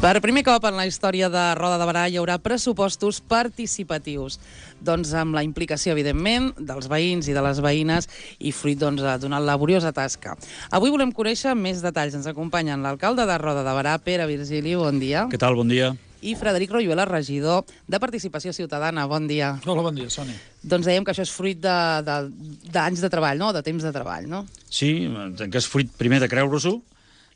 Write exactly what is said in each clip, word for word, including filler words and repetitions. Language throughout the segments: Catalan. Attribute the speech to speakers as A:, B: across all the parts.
A: Per primer cop en la història de Roda de Berà hi haurà pressupostos participatius. Doncs amb la implicació, evidentment, dels veïns i de les veïnes i fruit doncs, d'una laboriosa tasca. Avui volem conèixer més detalls. Ens acompanyen l'alcalde de Roda de Berà, Pere Virgili, bon dia.
B: Què tal, bon dia.
A: I Frederic Royuela, regidor de Participació Ciutadana. Bon dia.
C: Hola, bon dia, Sònia.
A: Doncs dèiem que això és fruit d'anys de, de, de treball, no? De temps de treball, no?
B: Sí, que és fruit primer de creure-s'ho,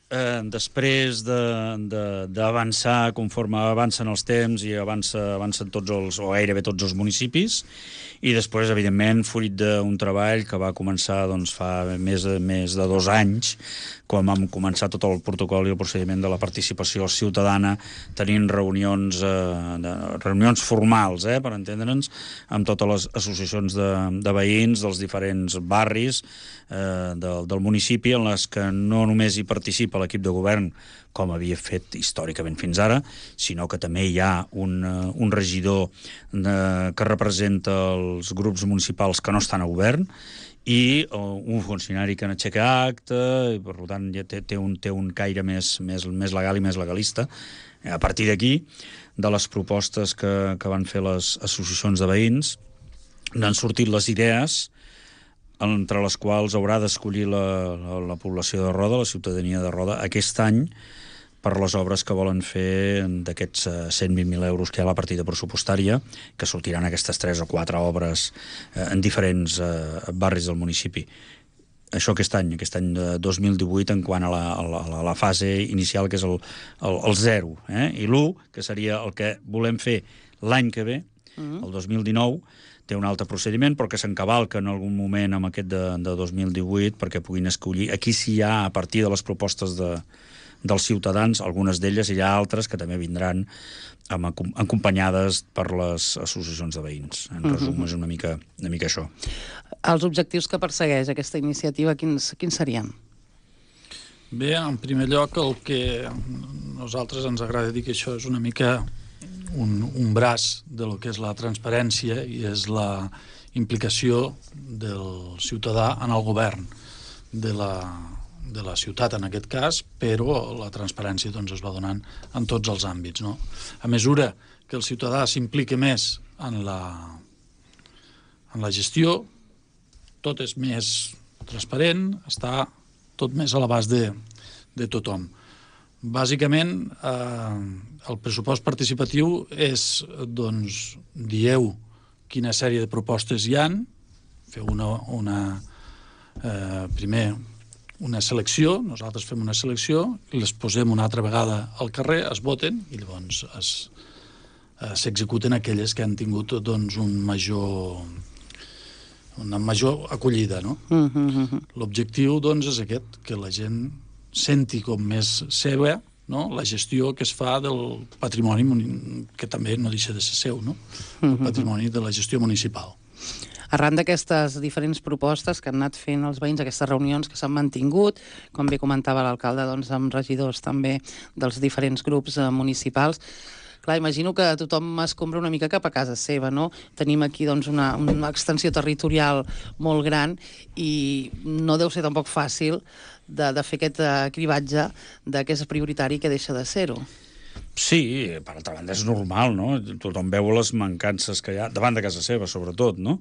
B: eh, després d'avançar conforme avancen els temps i avança, avancen tots els, o gairebé tots els municipis, i després, evidentment, fruit d'un treball que va començar doncs, fa més de, més de dos anys, quan vam començar tot el protocol i el procediment de la participació ciutadana, tenint reunions, eh, de, reunions formals, eh, per entendre'ns, amb totes les associacions de, de veïns dels diferents barris eh, del, del municipi, en les que no només hi participa l'equip de govern, com havia fet històricament fins ara, sinó que també hi ha un, un regidor de, que representa els grups municipals que no estan a govern, i un funcionari que n'aixeca acte, i per tant ja té, té, un, té un caire més, més, més legal i més legalista. A partir d'aquí, de les propostes que, que van fer les associacions de veïns, n'han sortit les idees entre les quals haurà d'escollir la, la, la població de Roda, la ciutadania de Roda, aquest any, per les obres que volen fer d'aquests cent vint mil euros que hi ha a la partida pressupostària, que sortiran aquestes tres o quatre obres eh, en diferents eh, barris del municipi. Això aquest any, aquest any de dos mil divuit, en quant a la, a la, a la fase inicial, que és el, el, el zero, eh? I l'u, que seria el que volem fer l'any que ve, mm-hmm. el dos mil dinou, té un altre procediment, però que s'encavalca en algun moment amb aquest de, de dos mil divuit, perquè puguin escollir. Aquí sí hi ha, a partir de les propostes de, dels ciutadans, algunes d'elles, i hi ha altres que també vindran amb, acompanyades per les associacions de veïns. En resum, mm-hmm. és una mica, una mica això.
A: Els objectius que persegueix aquesta iniciativa, quins, quins serien?
C: Bé, en primer lloc, el que nosaltres ens agrada dir que això és una mica un, un braç de lo que és la transparència i és la implicació del ciutadà en el govern de la, de la ciutat, en aquest cas, però la transparència doncs, es va donant en tots els àmbits. No? A mesura que el ciutadà s'implica més en la, en la gestió, tot és més transparent, està tot més a l'abast de, de tothom. Bàsicament, eh, el pressupost participatiu és, doncs, dieu quina sèrie de propostes hi han, feu una, una eh, primer una selecció, nosaltres fem una selecció, i les posem una altra vegada al carrer, es voten, i llavors es, eh, s'executen aquelles que han tingut doncs, un major, una major acollida. No?
A: Mm-hmm.
C: L'objectiu doncs, és aquest, que la gent senti com més seva, no? La gestió que es fa del patrimoni, que també no deixa de ser seu, no? El patrimoni de la gestió municipal.
A: Arran d'aquestes diferents propostes que han anat fent els veïns, aquestes reunions que s'han mantingut, com bé comentava l'alcalde, doncs, amb regidors també dels diferents grups eh, municipals, clar, imagino que tothom es compra una mica cap a casa seva, no? Tenim aquí doncs, una, una extensió territorial molt gran i no deu ser tampoc fàcil de, de fer aquest uh, cribatge de què és prioritari i què deixa de ser-ho.
B: Sí, per altra banda és normal, no? Tothom veu les mancances que hi ha, davant de casa seva, sobretot, no?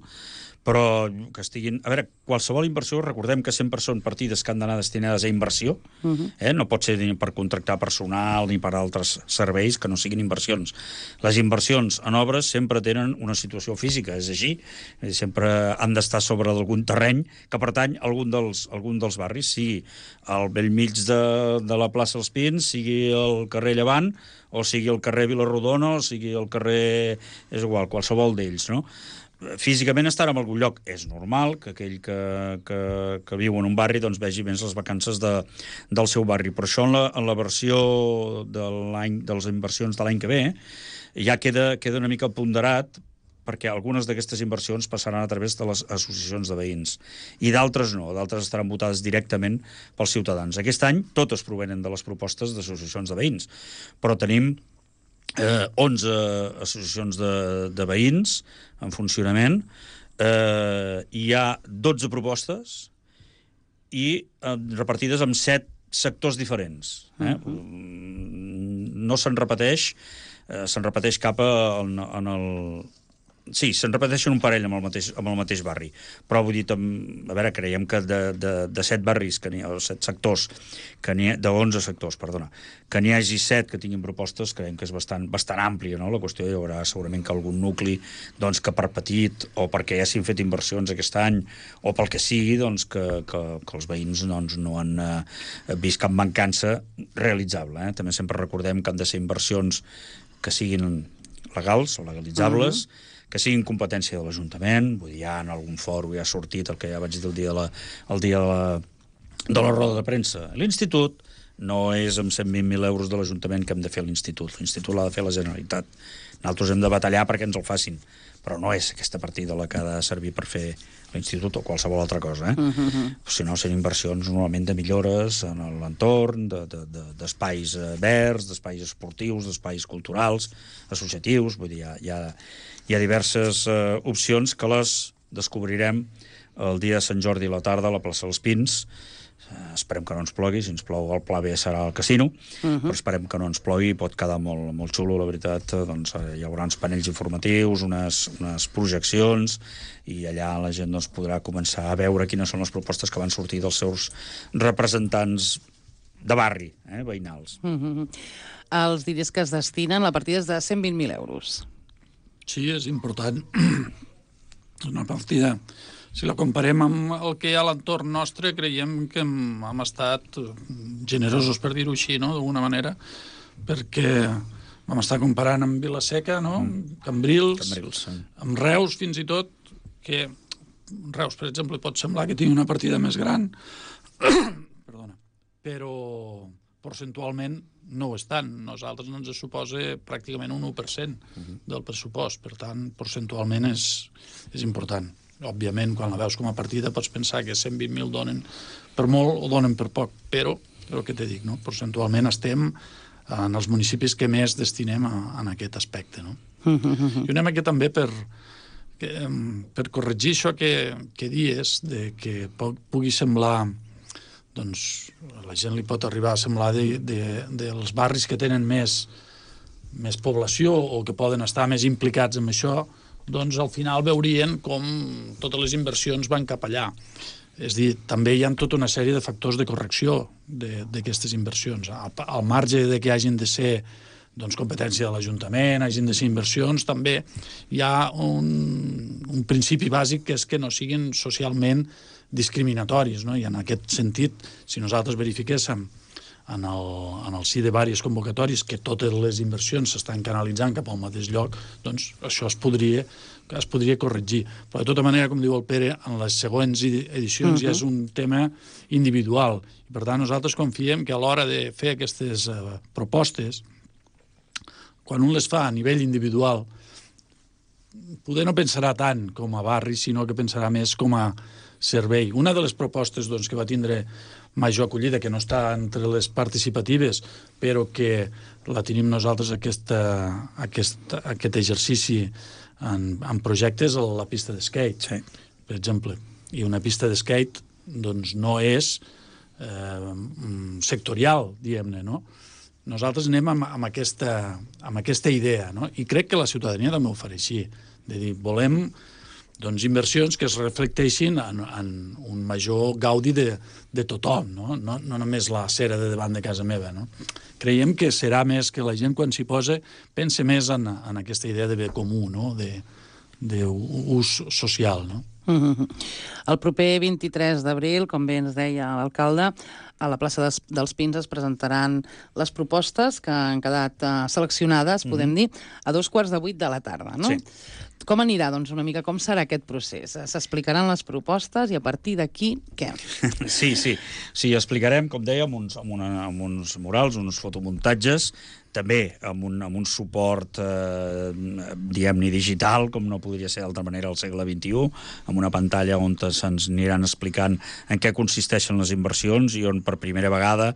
B: Però que estiguin... A veure, qualsevol inversió, recordem que sempre són partides que han d'anar destinades a inversió, uh-huh. eh? No pot ser ni per contractar personal ni per altres serveis que no siguin inversions. Les inversions en obres sempre tenen una situació física, és així, sempre han d'estar sobre d'algun terreny que pertany a algun dels, algun dels barris, sigui al bell mig de, de la plaça Els Pins, sigui el carrer Llevant, o sigui el carrer Vilarrodona, o sigui el carrer... és igual, qualsevol d'ells, no? Físicament estar en algun lloc és normal que aquell que, que, que viu en un barri doncs vegi més les vacances de, del seu barri, però això en la, en la versió de, l'any, de les inversions de l'any que ve ja queda, queda una mica ponderat, perquè algunes d'aquestes inversions passaran a través de les associacions de veïns i d'altres no, d'altres estaran votades directament pels ciutadans. Aquest any totes provenen de les propostes d'associacions de veïns, però tenim Eh, onze associacions de, de veïns en funcionament, eh, hi ha dotze propostes i eh, repartides en set sectors diferents. Eh? Uh-huh. no se'n repeteix, eh, se'n repeteix cap a, en, en el... Sí, se'n repeteixen un parell amb el mateix, amb el mateix barri, però vull dir, tam, a veure, creiem que de, de, de set barris, que n'hi ha, o set sectors, que n'hi ha, de onze sectors, perdona, que n'hi hagi set que tinguin propostes, creiem que és bastant, bastant àmplia, no? La qüestió hi haurà segurament que algun nucli, doncs, que per petit, o perquè ja s'han fet inversions aquest any, o pel que sigui, doncs, que, que, que els veïns doncs, no han eh, vist cap mancança realitzable. Eh? També sempre recordem que han de ser inversions que siguin legals o legalitzables, uh-huh. que siguin competència de l'Ajuntament, vull dir, ja en algun fòrum ja ha sortit el que ja vaig dir el dia de la, el dia de la, de la roda de premsa. L'Institut no és amb cent vint mil euros de l'Ajuntament que hem de fer l'Institut. L'Institut l'ha de fer la Generalitat. Nosaltres hem de batallar perquè ens el facin, però no és aquesta partida la que ha de servir per fer l'Institut o qualsevol altra cosa. Eh? Uh-huh. Si no, són inversions normalment de millores en l'entorn, d'espais de, de, verds, d'espais esportius, d'espais culturals, associatius, vull dir, hi ha, hi ha, hi ha diverses uh, opcions que les descobrirem el dia de Sant Jordi a la tarda a la plaça dels Pins. Uh, esperem que no ens plogui, si ens plou el pla B serà al casino, uh-huh. però esperem que no ens plogui, pot quedar molt, molt xulo, la veritat. Doncs, uh, hi haurà uns panells informatius, unes, unes projeccions, i allà la gent doncs, podrà començar a veure quines són les propostes que van sortir dels seus representants de barri, eh, veïnals.
A: Uh-huh. Els diners que es destinen, la partida és de cent vint mil euros.
C: Sí, és important. És una partida... Si la comparem amb el que hi ha a l'entorn nostre, creiem que hem, hem estat generosos, per dir-ho així, no?, d'alguna manera, perquè vam estar comparant amb Vila-seca, no?, mm. Cambrils,
B: Cambrils sí.
C: amb Reus, fins i tot, que Reus, per exemple, pot semblar que tingui una partida més gran, perdona, però percentualment no ho és tant. Nosaltres no ens suposa pràcticament un u per cent uh-huh. del pressupost, per tant, percentualment és, és important. Òbviament, quan la veus com a partida pots pensar que cent vint mil donen per molt o donen per poc, però el que te dic, no? Percentualment estem en els municipis que més destinem a, en aquest aspecte. No? I una mica també per, que, per corregir això que, que dies, de que pugui semblar, doncs la gent li pot arribar a semblar de, de, dels barris que tenen més, més població o que poden estar més implicats en això, doncs al final veurien com totes les inversions van cap allà. És dir, també hi ha tota una sèrie de factors de correcció d'aquestes inversions. Al, al marge de que hagin de ser doncs, competència de l'Ajuntament, hagin de ser inversions, també hi ha un, un principi bàsic que és que no siguin socialment discriminatoris, no? I en aquest sentit, si nosaltres verifiquéssim en el, en el si de diverses convocatòries que totes les inversions s'estan canalitzant cap al mateix lloc, doncs això es podria, es podria corregir. Però de tota manera, com diu el Pere, en les següents edicions uh-huh. ja és un tema individual. I per tant, nosaltres confiem que a l'hora de fer aquestes uh, propostes, quan un les fa a nivell individual, poder no pensarà tant com a barri, sinó que pensarà més com a servei. Una de les propostes doncs, que va tindre major acollida, que no està entre les participatives, però que la tenim nosaltres aquesta, aquest, aquest exercici en, en projectes a la pista de skate, sí. per exemple. I una pista de skate doncs, no és eh, sectorial, diguem-ne, no? Nosaltres anem amb, amb, aquesta, amb aquesta idea, no? I crec que la ciutadania també ho farà així, de dir, volem doncs, inversions que es reflecteixin en, en un major gaudi de, de tothom, no? No, no només la cera de davant de casa meva. No? Creiem que serà més que la gent, quan s'hi posa, pense més en, en aquesta idea de bé comú, no? d'ús social. No?
A: Mm-hmm. El proper vint-i-tres d'abril, com bé ens deia l'alcalde, a la plaça des, dels Pins es presentaran les propostes que han quedat uh, seleccionades, podem mm-hmm. dir, a dos quarts de vuit de la tarda, no? Sí. Com anirà, doncs, una mica? Com serà aquest procés? S'explicaran les propostes i a partir d'aquí, què?
B: Sí, sí. Sí, explicarem, com deia, amb uns, amb una, amb uns murals, uns fotomuntatges, també amb un, amb un suport, eh, diguem-ne, digital, com no podria ser d'altra manera al segle vint-i-u, amb una pantalla on se'ns aniran explicant en què consisteixen les inversions i on per primera vegada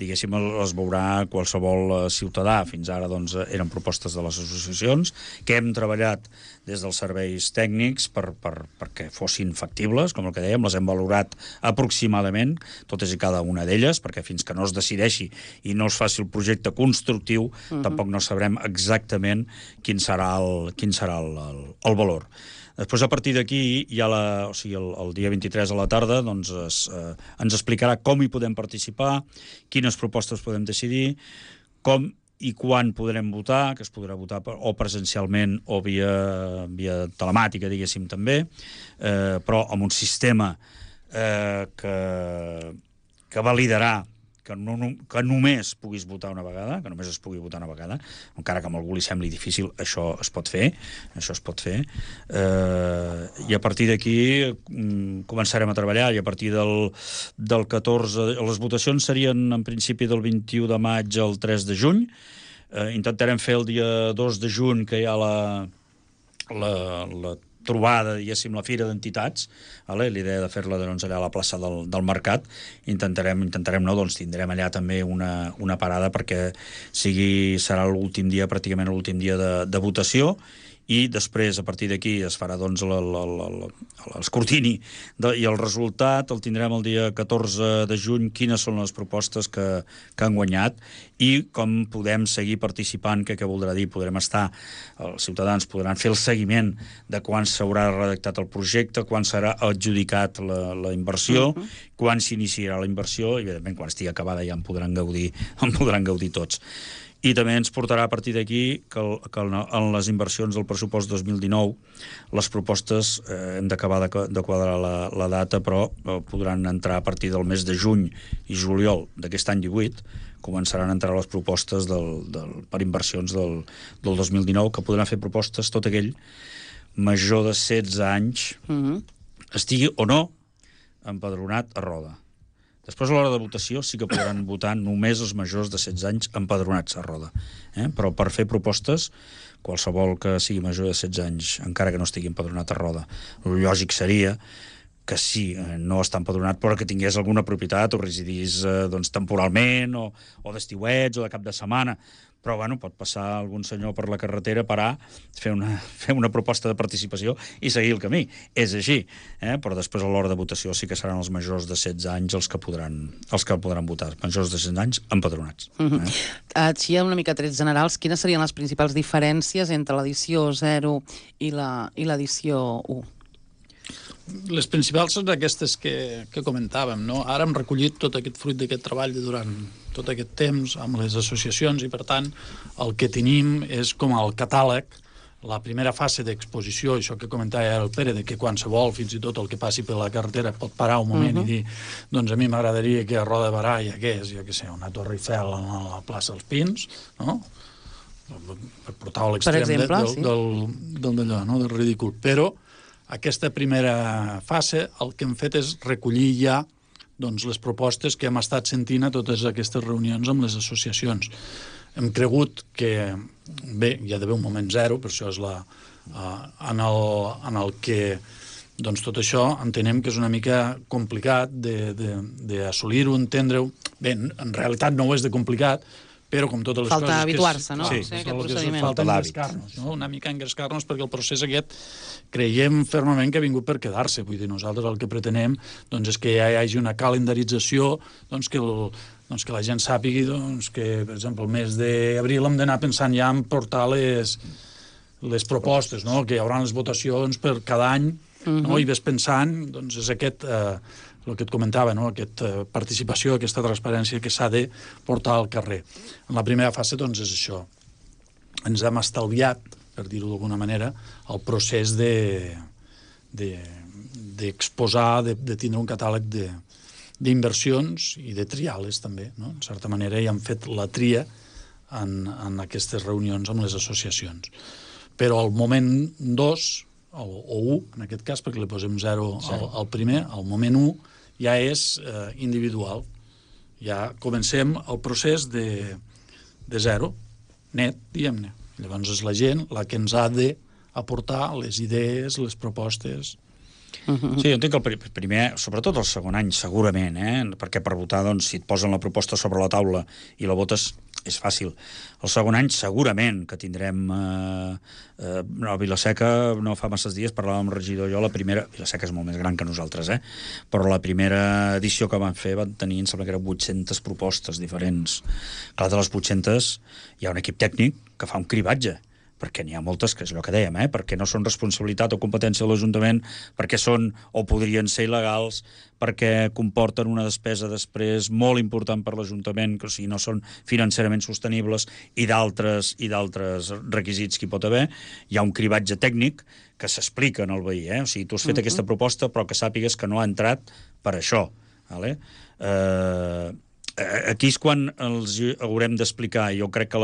B: diguéssim, les veurà qualsevol ciutadà. Fins ara doncs, eren propostes de les associacions que hem treballat des dels serveis tècnics per, per, perquè fossin factibles, com el que dèiem, les hem valorat aproximadament, totes i cada una d'elles, perquè fins que no es decideixi i no es faci el projecte constructiu, uh-huh. tampoc no sabrem exactament quin serà el, quin serà el, el, el valor. Després, a partir d'aquí, ja la, o sigui, el, el dia vint-i-tres a la tarda, doncs, es, eh, ens explicarà com hi podem participar, quines propostes podem decidir, com i quan podrem votar, que es podrà votar per, o presencialment o via, via telemàtica, diguéssim, també, eh, però amb un sistema eh, que, que validarà que, no, que només puguis votar una vegada, que només es pugui votar una vegada, encara que a algú li sembli difícil, això es pot fer, això es pot fer, eh, i a partir d'aquí començarem a treballar, i a partir del, del catorze... Les votacions serien en principi del vint-i-u de maig al tres de juny, eh, intentarem fer el dia dos de juny, que hi ha la, la, la trobada, diguéssim, la fira d'entitats, vale? L'idea de fer-la doncs, allà a la plaça del, del Mercat, intentarem, intentarem no, doncs tindrem allà també una, una parada perquè sigui, serà l'últim dia, pràcticament l'últim dia de, de votació, i després, a partir d'aquí, es farà doncs l'escrutini i el resultat el tindrem el dia catorze de juny, quines són les propostes que, que han guanyat i com podem seguir participant, que què voldrà dir? Podrem estar, els ciutadans podran fer el seguiment de quan s'haurà redactat el projecte, quan serà adjudicat la, la inversió, uh-huh. quan s'iniciarà la inversió, i evidentment quan estigui acabada ja en podran gaudir, en podran gaudir tots. I també ens portarà a partir d'aquí que, el, que en les inversions del pressupost dos mil dinou les propostes eh, hem d'acabar de, de quadrar la, la data, però eh, podran entrar a partir del mes de juny i juliol d'aquest any divuit, començaran a entrar les propostes del, del, per inversions del, del dos mil dinou, que podran fer propostes tot aquell major de setze anys, uh-huh. estigui o no empadronat a Roda. Després, a l'hora de votació, sí que podran votar només els majors de setze anys empadronats a Roda. Eh? Però per fer propostes, qualsevol que sigui major de setze anys, encara que no estigui empadronat a Roda, el lògic seria que sí, no està empadronat, però que tingués alguna propietat o residís eh, doncs, temporalment, o, o d'estiuets, o de cap de setmana. Però, bueno, pot passar algun senyor per la carretera, parar, fer una, fer una proposta de participació i seguir el camí. És així, eh? Però després a l'hora de votació sí que seran els majors de setze anys els que podran, els que podran votar. Majors de setze anys empadronats.
A: Uh-huh. eh? Així, una mica trets generals, quines serien les principals diferències entre l'edició zero i l'edició u?
C: Les principals són aquestes que, que comentàvem, no? Ara hem recollit tot aquest fruit d'aquest treball de durant tot aquest temps amb les associacions i, per tant, el que tenim és com el catàleg, la primera fase d'exposició, això que comentava el Pere, de que qualsevol, fins i tot el que passi per la carretera, pot parar un moment uh-huh. i dir, doncs a mi m'agradaria que a Roda de Barà hi hagués, jo què sé, una Torre Eiffel a la plaça dels Pins, no? Per portar-ho a l'extrem de, del, sí. del, del, d'allò, no? Del ridícul. Però aquesta primera fase el que hem fet és recollir ja doncs, les propostes que hem estat sentint a totes aquestes reunions amb les associacions. Hem cregut que, bé, hi ha d'haver un moment zero, per això és la, uh, en, el, en el que doncs, tot això entenem que és una mica complicat d'assolir-ho, entendre-ho. Bé, en realitat no ho és de complicat, però com totes les
A: falta
C: coses...
A: Falta habituar-se, no?
B: Sí,
A: sí, aquest procediment.
C: Falta engrescar-nos, no? Una mica engrescar-nos, perquè el procés aquest creiem fermament que ha vingut per quedar-se. Vull dir, nosaltres el que pretenem doncs, és que ja hi hagi una calendarització, doncs, que, el, doncs, que la gent sàpigui doncs, que, per exemple, el mes d'abril hem d'anar pensant ja en portar les, les propostes, no? Que hi haurà les votacions per cada any, no? Uh-huh. I ves pensant, doncs, és aquest... Eh, el que et comentava, no? Aquesta participació, aquesta transparència que s'ha de portar al carrer. En la primera fase, doncs, és això. Ens hem estalviat, per dir-ho d'alguna manera, el procés de, de, d'exposar, de, de tindre un catàleg de, d'inversions i de triar-les, també. No? En certa manera, ja hem fet la tria en, en aquestes reunions amb les associacions. Però al moment dos, o, o u, en aquest cas, perquè li posem zero al, al primer, al moment u, ja és eh, individual. Ja comencem el procés de, de zero, net, diguem-ne. Llavors és la gent la que ens ha d'aportar les idees, les propostes
B: Sí, jo entenc que el primer, sobretot el segon any, segurament, eh? Perquè per votar, doncs, si et posen la proposta sobre la taula i la votes, és fàcil. El segon any, segurament, que tindrem... Eh, eh, a Vila-seca, no fa masses dies, parlàvem amb el regidor i jo, la primera... Vila-seca és molt més gran que nosaltres, eh? Però la primera edició que van fer van tenir, em sembla que eren vuit-centes propostes diferents. Clar, de les vuit-centes hi ha un equip tècnic que fa un cribatge, perquè n'hi ha moltes, que és allò que dèiem, eh? Perquè no són responsabilitat o competència de l'Ajuntament, perquè són o podrien ser il·legals, perquè comporten una despesa després molt important per l'Ajuntament, que o sigui, no són financerament sostenibles, i d'altres i d'altres requisits que hi pot haver. Hi ha un cribatge tècnic que s'explica al veí, eh? O sigui, tu has fet uh-huh. aquesta proposta, però que sàpigues que no ha entrat per això, vale? Eh... Aquí és quan els haurem d'explicar. Jo crec que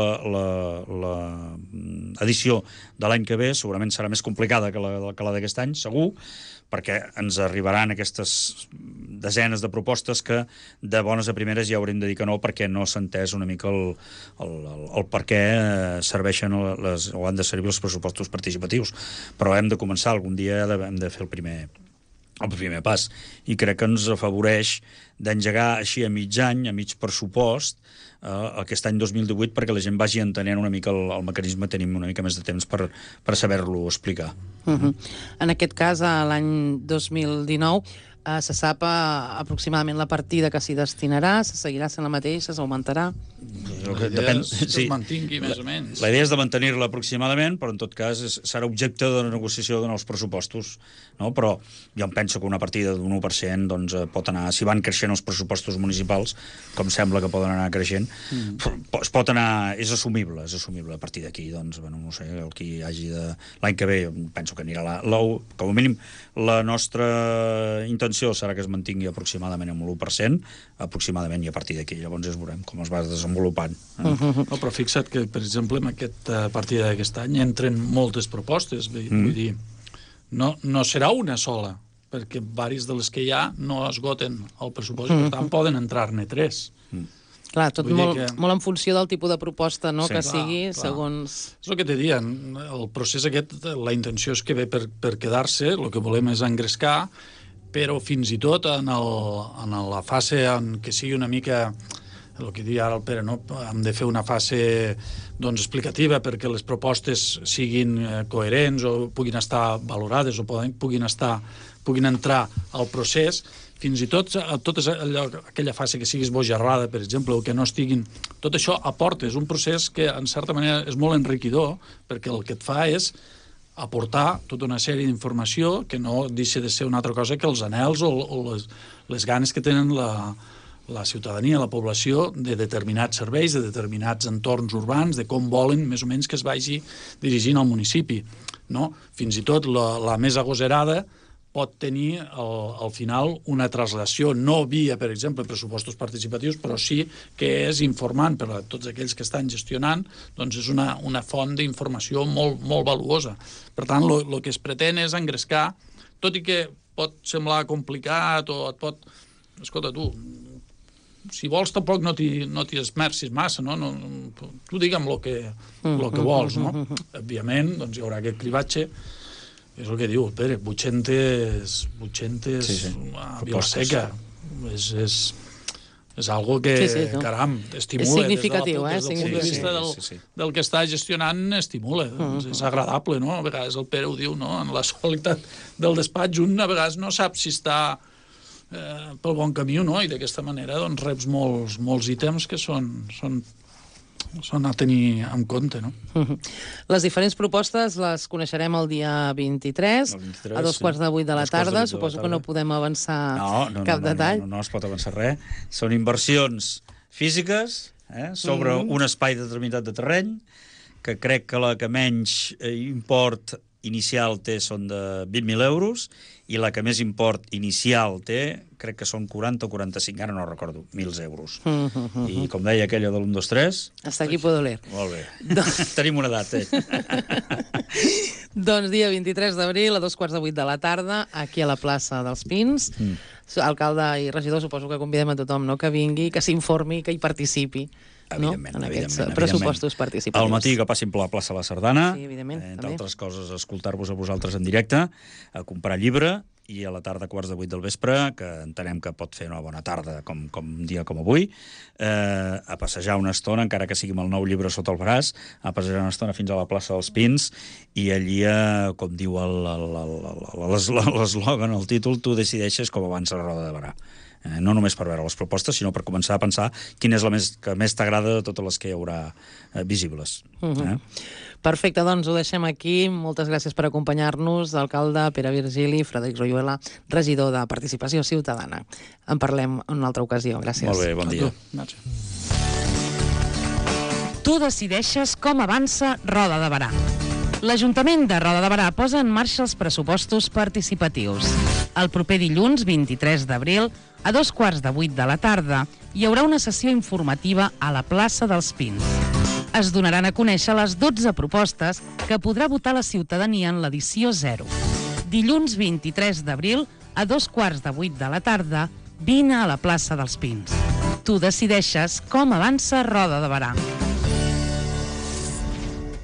B: l'edició de l'any que ve segurament serà més complicada que la, que la d'aquest any, segur, perquè ens arribaran aquestes desenes de propostes que de bones a primeres ja haurem de dir que no, perquè no s'ha entès una mica el, el, el, el per què serveixen les, o han de servir els pressupostos participatius. Però hem de començar, algun dia hem de fer el primer... el primer pas, i crec que ens afavoreix d'engegar així a mig any, a mig pressupost, eh, aquest any dos mil divuit, perquè la gent vagi entenent una mica el, el mecanisme, tenim una mica més de temps per, per saber-lo explicar.
A: Uh-huh. En aquest cas, l'any dos mil dinou, eh, se sap eh, aproximadament la partida que s'hi destinarà, se seguirà sent la mateixa, s'augmentarà?
C: La idea depèn, és que sí, es mantingui més
B: la,
C: o menys.
B: La idea és de mantenir-la aproximadament, però en tot cas és, serà objecte de negociació de nous pressupostos, no? Però jo em penso que una partida d'un u per cent doncs, pot anar, si van creixent els pressupostos municipals, com sembla que poden anar creixent, mm. es pot anar, és assumible, és assumible. A partir d'aquí, doncs, bueno, no sé, el que hi hagi de l'any que ve, penso que anirà la, la, com a mínim, la nostra intenció serà que es mantingui aproximadament amb l'u per cent, aproximadament, i a partir d'aquí llavors es veurem com es va desenvolupant. Eh?
C: Uh-huh. No, però fixa't que, per exemple, en aquesta partida d'aquest any entren moltes propostes, vull, mm. vull dir, no, no serà una sola, perquè diverses de les que hi ha no esgoten el pressupost, mm. per tant poden entrar-ne tres. Mm.
A: Clar, tot molt, que... molt en funció del tipus de proposta, no?, sí, que clar, sigui, clar. Segons...
C: És el que te dien, el procés aquest, la intenció és que ve per, per quedar-se, el que volem és engrescar, però fins i tot en, el, en la fase en què sigui una mica... el que diu ara el Pere, no? Hem de fer una fase doncs, explicativa perquè les propostes siguin eh, coherents o puguin estar valorades o poden, puguin, estar, puguin entrar al procés. Fins i tot tota aquella fase que sigui esbojarrada, per exemple, o que no estiguin... Tot això aporta, és un procés que, en certa manera, és molt enriquidor, perquè el que et fa és aportar tota una sèrie d'informació que no deixa de ser una altra cosa que els anhels o, o les, les ganes que tenen la... la ciutadania, la població, de determinats serveis, de determinats entorns urbans, de com volen més o menys que es vagi dirigint al municipi. No? Fins i tot la, la més agosarada pot tenir al, al final una traslació, no via, per exemple, pressupostos participatius, però sí que és informant per a tots aquells que estan gestionant, doncs és una, una font d'informació molt, molt valuosa. Per tant, el que es pretén és engrescar, tot i que pot semblar complicat o et pot... Escolta, tu... si vols tampoc no t'hi no t'hi esmercis massa, no? No, tu digue'm el que, lo que vols, no? Òbviament, doncs hi haurà aquest cribatge, és el que diu el Pere, vuit-centes, vuit-centes
B: sí, sí.
C: a Vila-seca, és, és, és algo que, sí, sí, no? caram, estimula.
A: És significatiu,
C: des, de la, des del
A: eh?
C: punt de vista del, sí, sí, sí. del que està gestionant, estimula. Uh -huh. És agradable, no? A vegades el Pere ho diu, no? En la solitat del despatx, un a vegades no sap si està Eh, pel bon camí o no, i d'aquesta manera doncs, reps molts, molts ítems que són, són, són a tenir en compte, no?
A: Les diferents propostes les coneixerem el dia vint-i-tres, el vint-i-tres a dos sí. quarts de vuit de la tarda. Suposo de la tarda. Que no podem avançar no, no, cap no, no, detall.
B: No, no, no es pot avançar res. Són inversions físiques eh, sobre mm -hmm. un espai determinat de terreny, que crec que la que menys eh, import inicial té són de vint mil euros, i la que més import inicial té, crec que són quaranta o quaranta-cinc, ara no recordo, mil euros. Mm -hmm. I com deia aquella de l'u, dos, tres...
A: Hasta aquí puedo leer.
B: Molt bé. Tenim una edat, eh?
A: Doncs dia vint-i-tres d'abril, a dos quarts de vuit de la tarda, aquí a la plaça dels Pins. Mm. Alcalde i regidor, suposo que convidem a tothom, no?, que vingui, que s'informi, que hi participi.
B: Evidentment,
A: no? En aquests
B: evidentment,
A: pressupostos participatius.
B: Al matí que passin per la plaça La Sardana,
A: sí, evidentment,
B: eh, entre
A: també.
B: altres coses, escoltar-vos a vosaltres en directe, a comprar llibre i a la tarda a quarts de vuit del vespre, que entenem que pot fer una bona tarda, com, com un dia com avui, eh, a passejar una estona, encara que sigui amb el nou llibre sota el braç, a passejar una estona fins a la plaça dels Pins, i allí, eh, com diu l'eslògan, el títol, tu decideixes com avança la Roda de Barà. Eh, no només per veure les propostes, sinó per començar a pensar quina és la més, que més t'agrada de totes les que hi haurà eh, visibles. Uh -huh. eh?
A: Perfecte, doncs ho deixem aquí. Moltes gràcies per acompanyar-nos, alcalde Pere Virgili, Frederic Royuela, regidor de Participació Ciutadana. En parlem en una altra ocasió. Gràcies.
B: Molt bé, bon dia.
D: Tu decideixes com avança Roda de Barà. L'Ajuntament de Roda de Barà posa en marxa els pressupostos participatius. El proper dilluns, vint-i-tres d'abril, a dos quarts de vuit de la tarda, hi haurà una sessió informativa a la plaça dels Pins. Es donaran a conèixer les dotze propostes que podrà votar la ciutadania en l'edició zero. Dilluns vint-i-tres d'abril, a dos quarts de vuit de la tarda, vine a la plaça dels Pins. Tu decideixes com avança Roda de Barà.